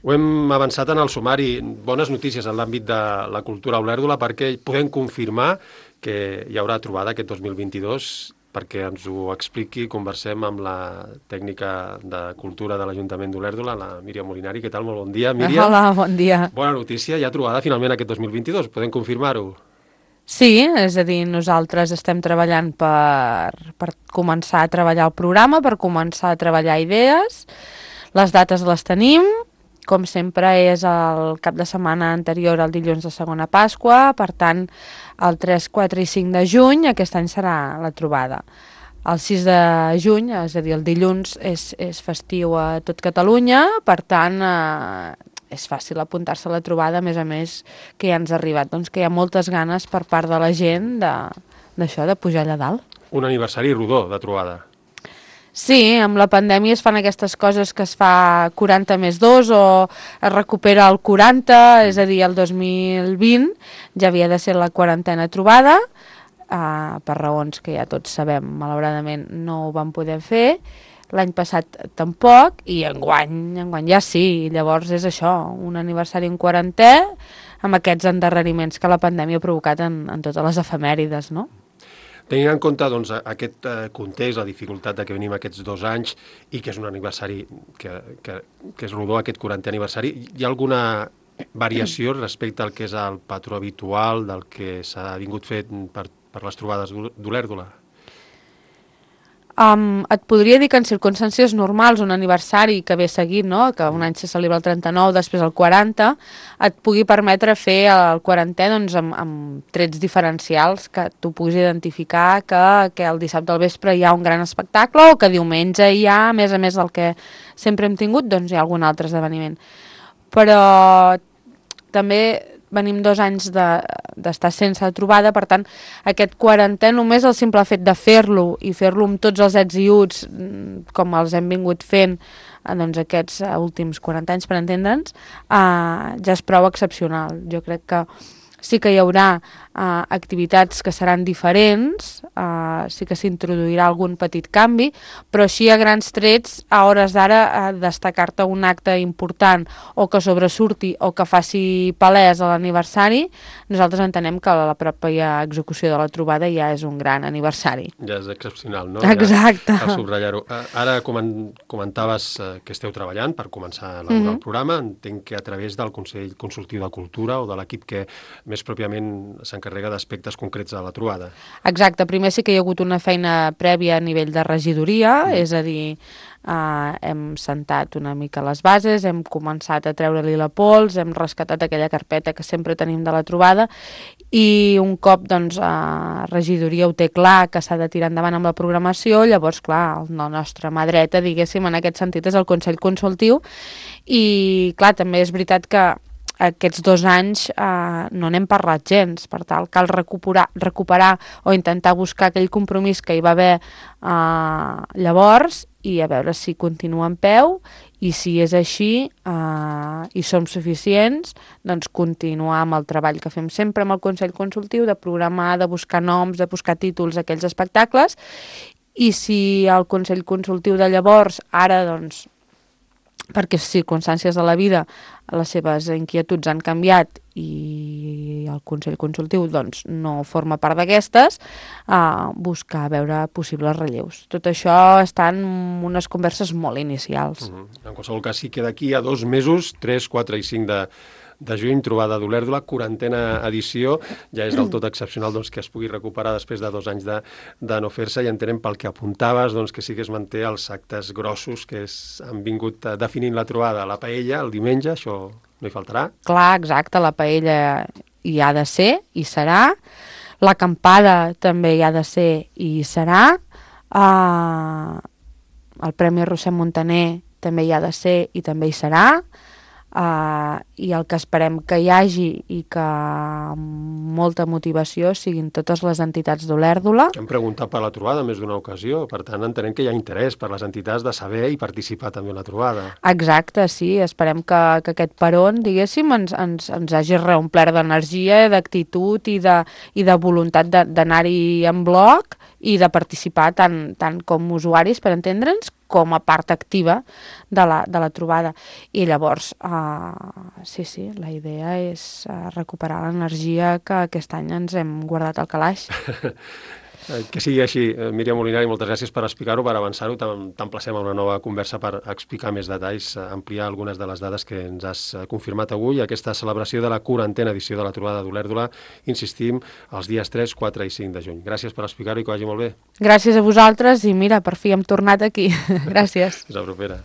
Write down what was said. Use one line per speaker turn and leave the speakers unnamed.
Ho hem avançat en el sumari. Bones notícies en l'àmbit de la cultura a Olèrdola perquè podem confirmar que hi haurà trobada aquest 2022. Perquè ens ho expliqui, conversem amb la tècnica de cultura de l'Ajuntament d'Olèrdola, la Míriam Molinari. Què tal? Molt bon dia, Míriam.
Hola, bon dia.
Bona notícia, hi ha trobada finalment aquest 2022. Podem confirmar-ho?
Sí, és a dir, nosaltres estem treballant per començar a treballar el programa, per començar a treballar idees. Les dates les tenim, com sempre és el cap de setmana anterior al dilluns de segona Pasqua, per tant, el 3, 4 i 5 de juny aquest any serà la trobada. El 6 de juny, és a dir, el dilluns, és festiu a tot Catalunya, per tant, és fàcil apuntar-se a la trobada, a més que ja ens ha arribat, doncs que hi ha moltes ganes per part de la gent d'això, de pujar allà dalt.
Un aniversari rodó de trobada.
Sí, amb la pandèmia es fan aquestes coses que es fa 40 més 2 o es recupera el 40, és a dir, el 2020 ja havia de ser la 40a trobada, per raons que ja tots sabem, malauradament no ho vam poder fer, l'any passat tampoc, i enguany ja sí, llavors és això, un aniversari en 40è, amb aquests endarreriments que la pandèmia ha provocat en totes les efemèrides, no?
Tenint en compte doncs, aquest context, la dificultat de que venim aquests 2 anys i que és un aniversari que és rodó, aquest 40è aniversari, hi ha alguna variació respecte al que és el patró habitual del que s'ha vingut fet per les trobades d'Olèrdola?
Et podria dir que en circumstàncies normals un aniversari que ve seguit, no? Que un any se celebra el 39, després el 40, et pugui permetre fer el 40è doncs, amb trets diferencials que tu puguis identificar que el dissabte al vespre hi ha un gran espectacle o que diumenge hi ha, a més del que sempre hem tingut, doncs hi ha algun altre esdeveniment. Però també venim 2 anys d'estar sense trobada, per tant, aquest 40è, només el simple fet de fer-lo i fer-lo amb tots els ets i uts, com els hem vingut fent doncs, aquests últims 40 anys, per entendre'ns, ja és prou excepcional. Jo crec que sí que hi haurà activitats que seran diferents, sí que s'introduirà algun petit canvi, però així a grans trets, a hores d'ara, destacar-te un acte important o que sobresurti o que faci palès a l'aniversari, nosaltres entenem que la pròpia execució de la trobada ja és un gran aniversari.
Ja és excepcional, no?
Exacte.
Ja, cal subratllar-ho. Ara comentaves que esteu treballant per començar a elaborar el programa. Entenc que a través del Consell Consultiu de Cultura o de l'equip que més pròpiament s'encarrega d'aspectes concrets de la trobada.
Exacte, primer sí que hi ha hagut una feina prèvia a nivell de regidoria, és a dir, hem sentat una mica les bases, hem començat a treure-li la pols, hem rescatat aquella carpeta que sempre tenim de la trobada i un cop doncs, regidoria ho té clar que s'ha de tirar endavant amb la programació, llavors clar, la nostra mà dreta, diguéssim, en aquest sentit és el Consell Consultiu i clar, també és veritat que aquests 2 anys no n'hem parlat gens, per tal cal recuperar o intentar buscar aquell compromís que hi va haver llavors i a veure si continua en peu i si és així i som suficients, doncs continuar amb el treball que fem sempre amb el Consell Consultiu, de programar, de buscar noms, de buscar títols d'aquells espectacles i si el Consell Consultiu de llavors ara doncs perquè circumstàncies de la vida les seves inquietuds han canviat i el Consell Consultiu doncs, no forma part d'aquestes, buscar veure possibles relleus. Tot això està en unes converses molt inicials.
En qualsevol cas, sí que d'aquí a 2 mesos, 3, 4 i 5 de juny, trobada d'Olèrdola, 40a edició, ja és del tot excepcional doncs, que es pugui recuperar després de 2 anys de no fer-se i entenem pel que apuntaves doncs, que sí que es manté els actes grossos que han vingut definint la trobada. La paella, el diumenge, això no hi faltarà.
Clar, exacte, la paella hi ha de ser, hi serà. L'acampada també hi ha de ser i hi serà. El Premi Roser Montaner també hi ha de ser i també hi serà. I el que esperem que hi hagi i que amb molta motivació siguin totes les entitats d'Olèrdola.
Hem preguntat per la trobada més d'una ocasió, per tant entenem que hi ha interès per les entitats de saber i participar també en la trobada.
Exacte, sí, esperem que aquest peron, diguéssim, ens hagi reomplert d'energia, d'actitud i de voluntat d'anar-hi en bloc i de participar tant com usuaris, per entendre'ns, com a part activa de la trobada. I llavors, sí, la idea és recuperar l'energia que aquest any ens hem guardat al calaix.
Que sigui així. Míriam Molinari, moltes gràcies per explicar-ho, per avançar-ho. T'emplacem a una nova conversa per explicar més detalls, ampliar algunes de les dades que ens has confirmat avui. Aquesta celebració de la 40a edició de la trobada d'Olèrdola, insistim, els dies 3, 4 i 5 de juny. Gràcies per explicar-ho i que vagi molt bé.
Gràcies a vosaltres i mira, per fi hem tornat aquí. Gràcies.
Fins la propera.